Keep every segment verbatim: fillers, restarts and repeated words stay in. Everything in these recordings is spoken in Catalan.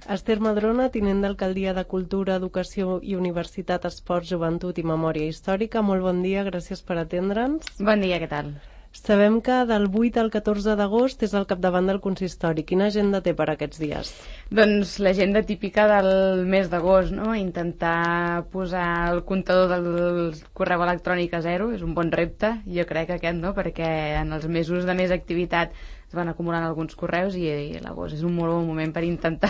Esther Madrona, tinent d'Alcaldia de Cultura, Educació i Universitat, Esports, Joventut i Memòria Històrica. Molt bon dia, gràcies per atendre'ns. Bon dia, què tal? Sabem que del vuit al catorze d'agost és al capdavant del consistori. Quina agenda té per aquests dies? Doncs l'agenda típica del mes d'agost, no? Intentar posar el comptador del correu electrònic a zero és un bon repte, jo crec aquest, no? Perquè en els mesos de més activitat es van acumulant alguns correus i, i l'agost és un molt bon moment per intentar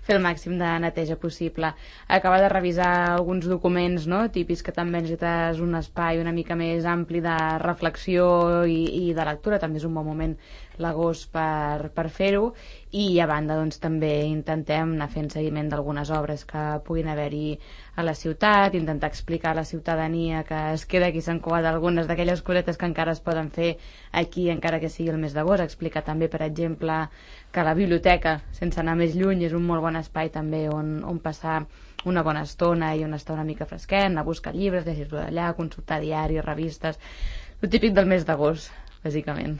fer el màxim de neteja possible. Acabar de revisar alguns documents, no? Típics que també necessites un espai una mica més ampli de reflexió i, i de lectura, també és un bon moment l'agost per, per fer-ho, i a banda doncs també intentem anar fent seguiment d'algunes obres que puguin haver-hi a la ciutat, intentar explicar a la ciutadania que es queda aquí Sant Cugat algunes d'aquelles cosetes que encara es poden fer aquí encara que sigui el mes d'agost, explicar també per exemple que la biblioteca, sense anar més lluny, és un molt bon espai també on, on passar una bona estona i on estar una mica fresquet, anar a buscar llibres, llegir-lo d'allà, consultar diaris, revistes, el típic del mes d'agost, bàsicament.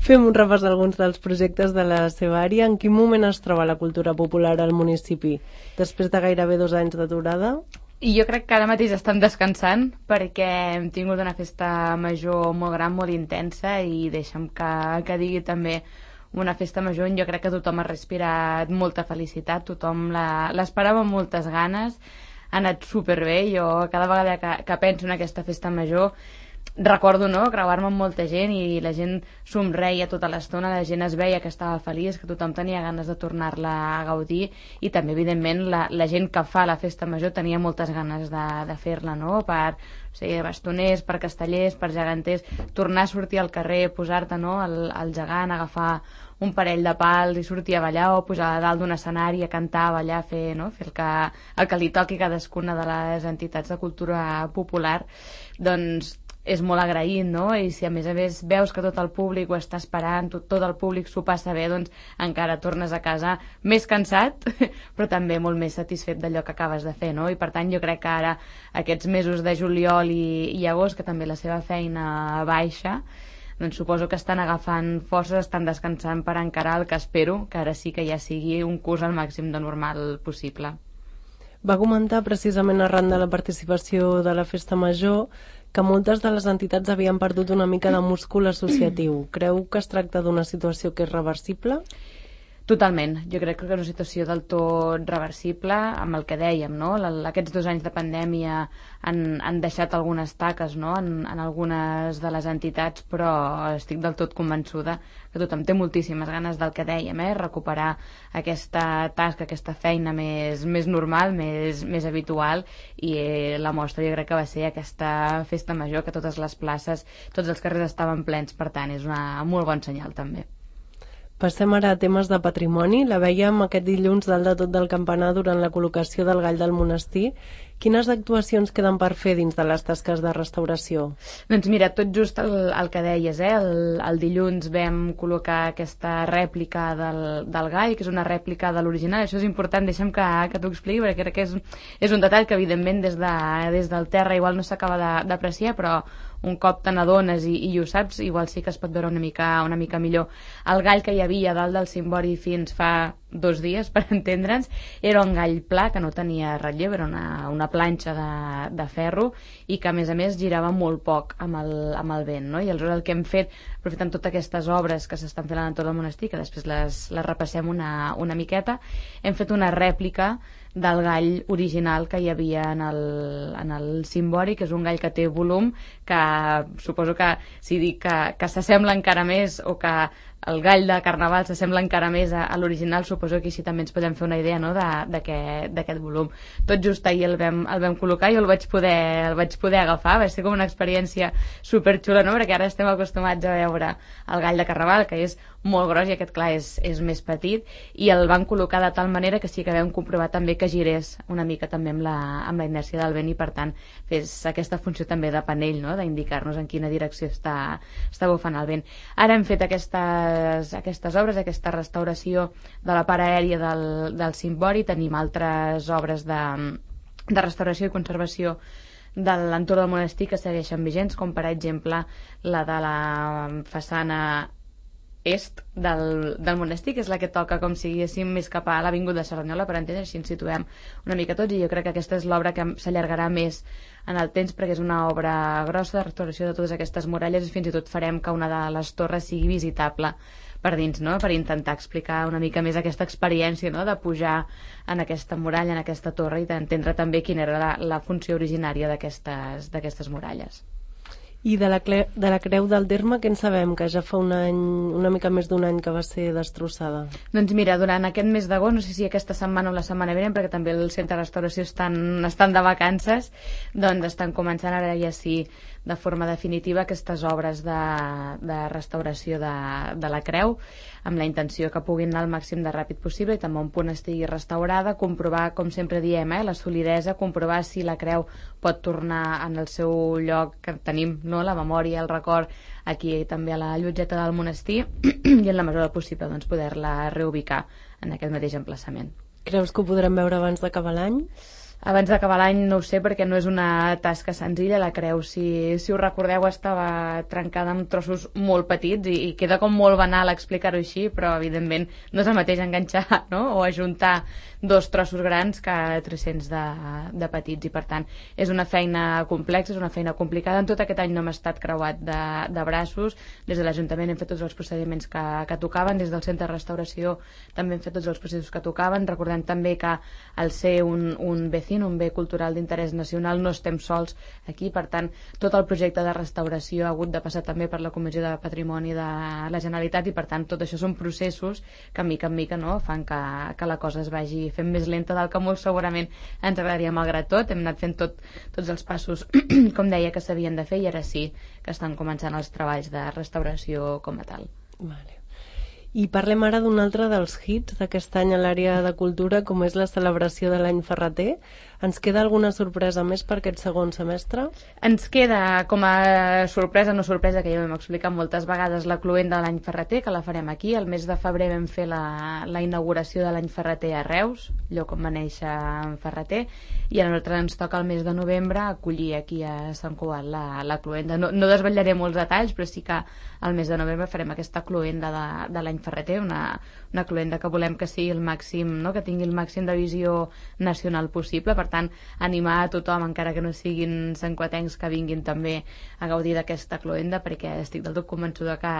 Fem un repàs d'alguns dels projectes de la seva àrea. En quin moment es troba la cultura popular al municipi? Després de gairebé dos anys d'aturada? I jo crec que ara mateix estan descansant perquè hem tingut una festa major molt gran, molt intensa, i deixa'm que, que digui també una festa major on jo crec que tothom ha respirat molta felicitat, tothom l'esperava amb moltes ganes, ha anat superbé. Jo cada vegada que, que penso en aquesta festa major recordo, no?, creuar-me amb molta gent i la gent somreia tota l'estona, la gent es veia que estava feliç, que tothom tenia ganes de tornar-la a gaudir, i també evidentment la, la gent que fa la festa major tenia moltes ganes de, de fer-la, no?, per, o sigui, bastoners, per castellers, per geganters, tornar a sortir al carrer, posar-te, no?, al, al gegant, agafar un parell de pals i sortir a ballar, o pujar a dalt d'un escenari a cantar, a ballar, fer, no?, fer el que, el que li toqui cadascuna de les entitats de cultura popular. Doncs és molt agraït, no? I si a més a més veus que tot el públic ho està esperant, tot, tot el públic s'ho passa bé, doncs encara tornes a casa més cansat, però també molt més satisfet d'allò que acabes de fer, no? I per tant jo crec que ara aquests mesos de juliol i, i agost, que també la seva feina baixa, doncs suposo que estan agafant forces, estan descansant per encarar el que espero, que ara sí que ja sigui un curs al màxim de normal possible. Va comentar precisament arran de la participació de la Festa Major que moltes de les entitats havien perdut una mica de múscul associatiu. Creu que es tracta d'una situació que és reversible? Totalment. Jo crec que és una situació del tot reversible amb el que dèiem, no? Aquests dos anys de pandèmia han, han deixat algunes taques, no?, en, en algunes de les entitats, però estic del tot convençuda que tothom té moltíssimes ganes del que dèiem, eh? Recuperar aquesta tasca, aquesta feina més, més normal, més, més habitual, i eh, la mostra jo crec que va ser aquesta festa major, que totes les places, tots els carrers estaven plens, per tant és una molt bon senyal també. Passem ara a temes de patrimoni. La vèiem aquest dilluns dalt de tot del campanar durant la col·locació del gall del monestir. Quines actuacions queden per fer dins de les tasques de restauració? Doncs mira, tot just el, el que deies, eh? el, el dilluns vam col·locar aquesta rèplica del, del gall, que és una rèplica de l'original. Això és important, deixa'm que, que t'ho expliqui, perquè crec que és, és un detall que evidentment des, de, des del terra igual no s'acaba d'apreciar, però un cop te n'adones i, i ho saps, igual sí que es pot veure una mica, una mica millor. El gall que hi havia dalt del cimbori fins fa dos dies, per entendre'ns, era un gall pla que no tenia relleu, era una, una planxa de, de ferro, i que a més a més girava molt poc amb el, amb el vent, no? I aleshores el que hem fet, aprofitant totes aquestes obres que s'estan fent a l'entorn del monestir, que després les, les repassem una, una miqueta, hem fet una rèplica del gall original que hi havia en el, en el cimbori, que és un gall que té volum, que suposo que si dic que, que s'assembla encara més, o que el gall de Carnaval s'assembla encara més a, a l'original, suposo que així també ens podem fer una idea, no?, d'aquest volum. Tot just ahir el vam, el vam col·locar i el vaig, poder, el vaig poder agafar, va ser com una experiència superxula, no?, perquè ara estem acostumats a veure el gall de Carnaval, que és molt gros, i aquest, clar, és, és més petit, i el van col·locar de tal manera que sí que vam comprovar també que girés una mica també amb la, amb la inèrcia del vent, i per tant fes aquesta funció també de panell, no?, d'indicar-nos en quina direcció està, està bufant el vent. Ara hem fet aquestes, aquestes obres, aquesta restauració de la part aèria del, del cimbori. Tenim altres obres de, de restauració i conservació de l'entorn del monestir que segueixen vigents, com per exemple la de la façana est del, del monestir, que és la que toca com si diguéssim més cap a l'Avinguda de Cerdanyola, per entendre, així ens situem una mica tots, i jo crec que aquesta és l'obra que s'allargarà més en el temps, perquè és una obra grossa de restauració de totes aquestes muralles, i fins i tot farem que una de les torres sigui visitable per dins, no? Per intentar explicar una mica més aquesta experiència, no? De pujar en aquesta muralla, en aquesta torre, i d'entendre també quina era la, la funció originària d'aquestes d'aquestes muralles. I de la, cle, de la Creu del Terme, què en sabem? Que ja fa un any, una mica més d'un any que va ser destrossada. Doncs mira, durant aquest mes d'agost, no sé si aquesta setmana o la setmana vinent, perquè també el centre de restauració estan, estan de vacances, doncs estan començant ara ja sí de forma definitiva aquestes obres de, de restauració de, de la creu, amb la intenció que puguin anar al màxim de ràpid possible i també un punt estigui restaurada, comprovar, com sempre diem, eh, la solidesa, comprovar si la creu pot tornar en el seu lloc que tenim, no? La memòria, el record, aquí també a la llotgeta del monestir, i en la mesura del possible doncs, poder-la reubicar en aquest mateix emplaçament. Creus que ho podrem veure abans d'acabar l'any? Abans d'acabar l'any no ho sé, perquè no és una tasca senzilla. La creu, si, si us recordeu, estava trencada en trossos molt petits i, i queda com molt banal explicar-ho així, però evidentment no és el mateix enganxar, no? O ajuntar dos trossos grans que tres-cents de, de petits, i per tant és una feina complexa, és una feina complicada. En tot aquest any no hem estat creuat de, de braços. Des de l'Ajuntament hem fet tots els procediments que, que tocaven, des del Centre de Restauració també hem fet tots els processos que tocaven. Recordem també que al ser un, un vecino, un bé cultural d'interès nacional, no estem sols aquí, per tant tot el projecte de restauració ha hagut de passar també per la Comissió de Patrimoni de la Generalitat, i per tant tot això són processos que mica en mica, no, fan que, que la cosa es vagi fent més lenta del que molt segurament ens agradaria. Malgrat tot hem anat fent tot, tots els passos com deia que s'havien de fer, i ara sí que estan començant els treballs de restauració com a tal. Vale. I parlem ara d'un altre dels hits d'aquest any a l'àrea de cultura, com és la celebració de l'any Ferrater. Ens queda alguna sorpresa més per aquest segon semestre? Ens queda com a sorpresa, no sorpresa, que ja ho hem explicat moltes vegades, la cloenda de l'any Ferrater, que la farem aquí. El mes de febrer vam fer la, la inauguració de l'any Ferrater a Reus, lloc on va néixer en Ferrater, i a nosaltres ens toca el mes de novembre acollir aquí a Sant Cugat la, la cloenda. No, no desvetllaré molts detalls, però sí que al mes de novembre farem aquesta cloenda de, de l'any Ferrater, una, una cloenda que volem que sigui el màxim, no? Que tingui el màxim de visió nacional possible. Per tant, animar a tothom, encara que no siguin santcugatencs, que vinguin també a gaudir d'aquesta cloenda, perquè estic del tot convençuda que,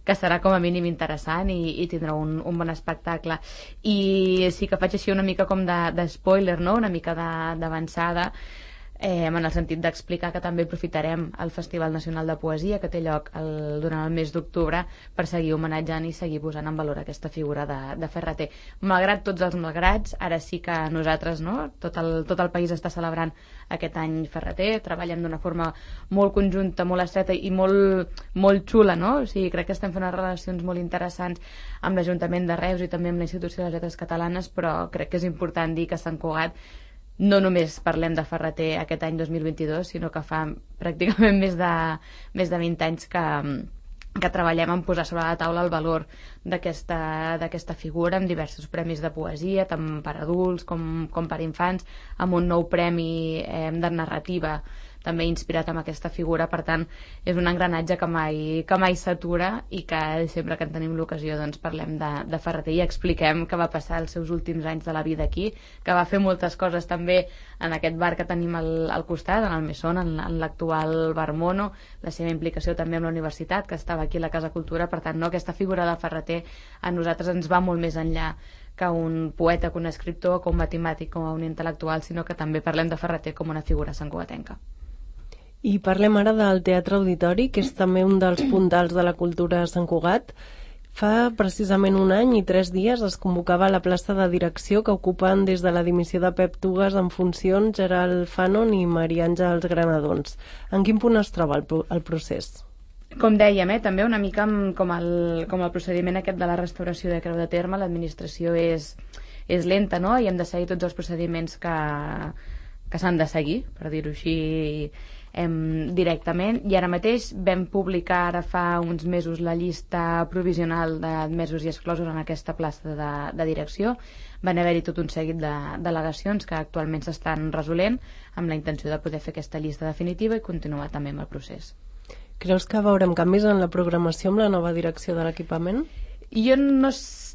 que serà com a mínim interessant i, i tindrà un, un bon espectacle. I sí que faig així una mica com de, de spoiler, no? Una mica d'avançada, Eh, en el sentit d'explicar que també aprofitarem el Festival Nacional de Poesia que té lloc el, durant el mes d'octubre per seguir homenatjant i seguir posant en valor aquesta figura de, de Ferrater. Malgrat tots els malgrats, ara sí que nosaltres, no? tot, el, tot el país està celebrant aquest any Ferrater, treballem d'una forma molt conjunta, molt estreta i molt, molt xula, no? O sigui, crec que estem fent unes relacions molt interessants amb l'Ajuntament de Reus i també amb la Institució de les Lletres Catalanes, però crec que és important dir que Sant Cugat no només parlem de Ferrater aquest any dos mil vint-i-dos, sinó que fa pràcticament més de, més de vint anys que, que treballem en posar sobre la taula el valor d'aquesta d'aquesta figura, amb diversos premis de poesia, tant per adults com, com per infants, amb un nou premi eh, de narrativa també inspirat en aquesta figura. Per tant, és un engranatge que mai, que mai s'atura, i que sempre que en tenim l'ocasió doncs parlem de, de Ferrater i expliquem què va passar els seus últims anys de la vida aquí, que va fer moltes coses també en aquest bar que tenim al, al costat, en el Mesón, en, en l'actual Bar Mono, la seva implicació també amb la universitat, que estava aquí a la Casa Cultura. Per tant, no, aquesta figura de Ferrater a nosaltres ens va molt més enllà que un poeta, que un escriptor, que un matemàtic, com un intel·lectual, sinó que també parlem de Ferrater com una figura santcugatenca. I parlem ara del Teatre Auditori, que és també un dels puntals de la cultura a Sant Cugat. Fa precisament un any i tres dies es convocava a la plaça de direcció, que ocupen des de la dimissió de Pep Tugas en funcions Gerald Fanon i Maria Àngels Granadons. En quin punt es troba el, el procés? Com dèiem, eh, també una mica com el, com el procediment aquest de la restauració de Creu de Terme, l'administració és, és lenta, no? I hem de seguir tots els procediments que, que s'han de seguir, per dir-ho així, em, directament, i ara mateix vam publicar ara fa uns mesos la llista provisional d'admesos i exclosos en aquesta plaça de, de direcció. Van haver-hi tot un seguit de delegacions que actualment s'estan resolent amb la intenció de poder fer aquesta llista definitiva i continuar també amb el procés. Creus que veurem canvis en la programació amb la nova direcció de l'equipament? Jo no,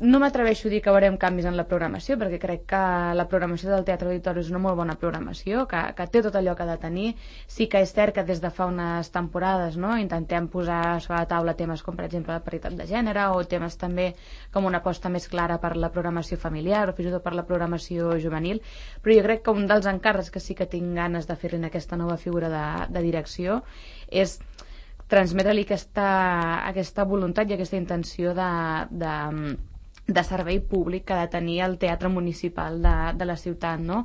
no m'atreveixo a dir que veurem canvis en la programació, perquè crec que la programació del Teatre Auditori és una molt bona programació, que, que té tot allò que ha de tenir. Sí que és cert que des de fa unes temporades, no?, intentem posar sobre la taula temes com, per exemple, la paritat de gènere, o temes també com una aposta més clara per la programació familiar o fins i tot per la programació juvenil, però jo crec que un dels encàrrecs que sí que tinc ganes de fer-li en aquesta nova figura de, de direcció és transmetre-li aquesta, aquesta voluntat i aquesta intenció de, de, de servei públic que ha de tenir el teatre municipal de, de la ciutat, no?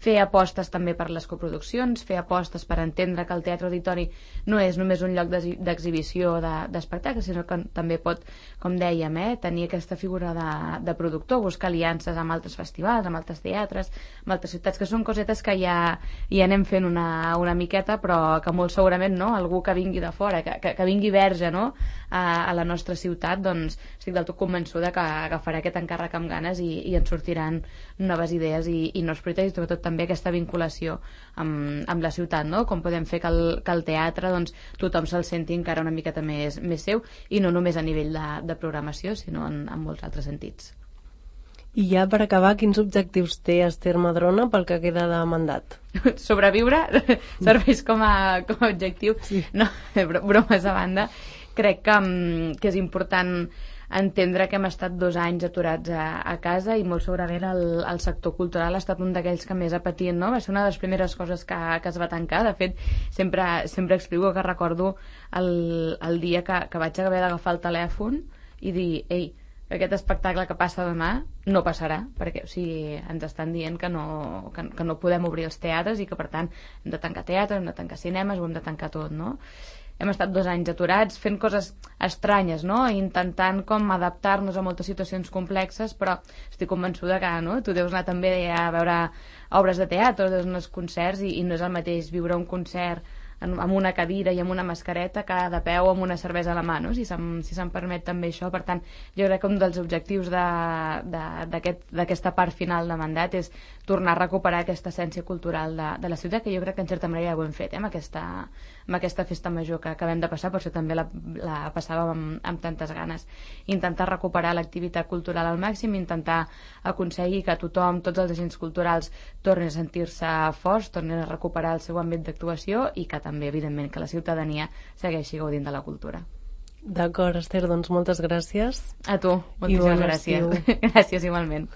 Fer apostes també per les coproduccions, fer apostes per entendre que el Teatre Auditori no és només un lloc d'exhibició d'espectacles, sinó que també pot, com dèiem, eh, tenir aquesta figura de, de productor, buscar aliances amb altres festivals, amb altres teatres, amb altres ciutats, que són cosetes que ja, ja anem fent una, una miqueta, però que molt segurament, no?, algú que vingui de fora, que, que, que vingui verge, no?, a, a la nostra ciutat, doncs estic del tot convençuda que agafarà aquest encàrrec amb ganes i, i en sortiran noves idees i, i nous projectes, i sobretot també aquesta vinculació amb, amb la ciutat, no?, com podem fer que el, que el teatre, doncs, tothom se'l senti encara una miqueta més, més seu, i no només a nivell de, de programació, sinó en, en molts altres sentits. I ja per acabar, quins objectius té Esther Madrona pel que queda de mandat? Sobreviure serveix com a, com a objectiu. Sí. No, bromes a banda. Crec que, que és important entendre que hem estat dos anys aturats a, a casa, i molt segurament el, el sector cultural ha estat un d'aquells que més ha patit, no? Va ser una de les primeres coses que, que es va tancar. De fet, sempre, sempre explico que recordo el, el dia que, que vaig haver d'agafar el telèfon i dir, ei, aquest espectacle que passa demà no passarà, perquè, o sigui, ens estan dient que no, que, que no podem obrir els teatres i que, per tant, hem de tancar teatres, hem de tancar cinemes, ho hem de tancar tot, no? Hem estat dos anys aturats fent coses estranyes, no?, intentant com adaptar-nos a moltes situacions complexes, però estic convençuda que, no?, tu deus anar també a veure obres de teatre, deus anar als concerts, i, i no és el mateix viure un concert amb una cadira i amb una mascareta que de peu amb una cervesa a la mà, no?, si se'm, si se'm permet també això. Per tant, jo crec que un dels objectius d'aquesta aquest, part final de mandat és tornar a recuperar aquesta essència cultural de, de la ciutat, que jo crec que en certa manera ja ho hem fet, eh, amb, aquesta, amb aquesta festa major que acabem de passar, per això també la, la passàvem amb, amb tantes ganes. Intentar recuperar l'activitat cultural al màxim, intentar aconseguir que tothom, tots els agents culturals, tornin a sentir-se forts, tornin a recuperar el seu àmbit d'actuació, i que també, evidentment, que la ciutadania segueixi gaudint de la cultura. D'acord, Esther, doncs moltes gràcies. A tu, moltíssimes bon gràcies. Gràcies, igualment.